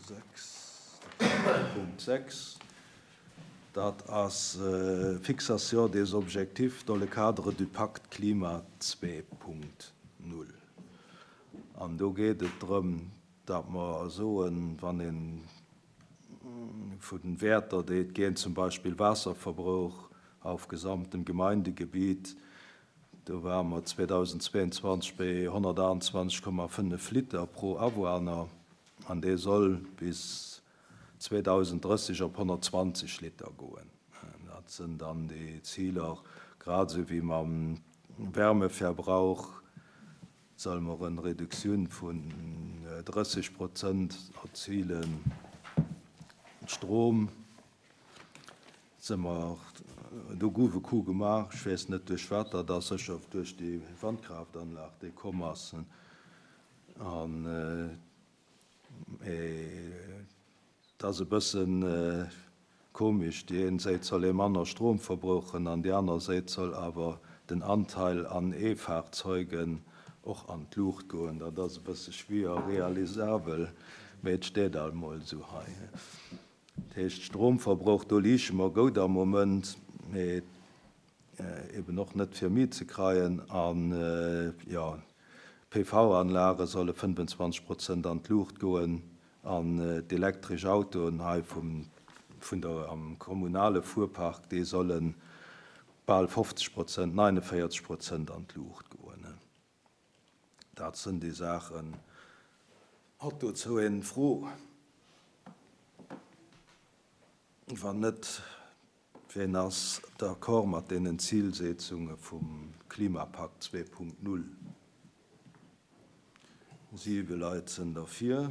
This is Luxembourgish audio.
6, Punkt 6, dat ass Fixation des objectifs dans le cadre du Pacte Climat 2.0. An do geet et drëm, datt mer soen, wann ee vun Wäerter, déi et ginn, zum Beispill Waasserverbrauch auf gesamtem Gemeindegebiet, do ware mer 2022 bei 128,5 Liter pro Awunner an dee soll bis 2030 op 120 Liter goen. Dat sinn dann déi Ziler, grad esou wéi mam Wärmeverbrauch solle mer eng Reduktioun vun 30 Prozent erzilen. Strom si mer, do gouf e Coup gemaach, ech weess net duerch wat, dat ass sécher duerch déi Wandkraftanlag déi komm ass. An Et ass e bësse komesch, déi een Séit soll ee manner Strom verbrauchen an déi aner Séit soll awer den Anteil an E-Fahrzeugen och an d'Luucht goen. Dat ass e bësse schwier realisabel, mee et steet alt mol esou hei. Dat heescht, Stromverbrauch, do liiche mer goud am Moment, mee eben och net fir méi ze kreien. An jo, PV-Anlage solle 25 Prozent an d'Luucht goen an d'elektresch Autoen hei vum vun der am kommunale Fuerpark, déi solle bal 50 Prozent, 49 Prozent an d'Luucht goen. Dat sënn déi Saachen. Hat dozou een Fro? Wann net, Wien ass d'accord mat deenen Zilsetzunge vum Klimapakt 2.0? Siwe Leit sënn derfir.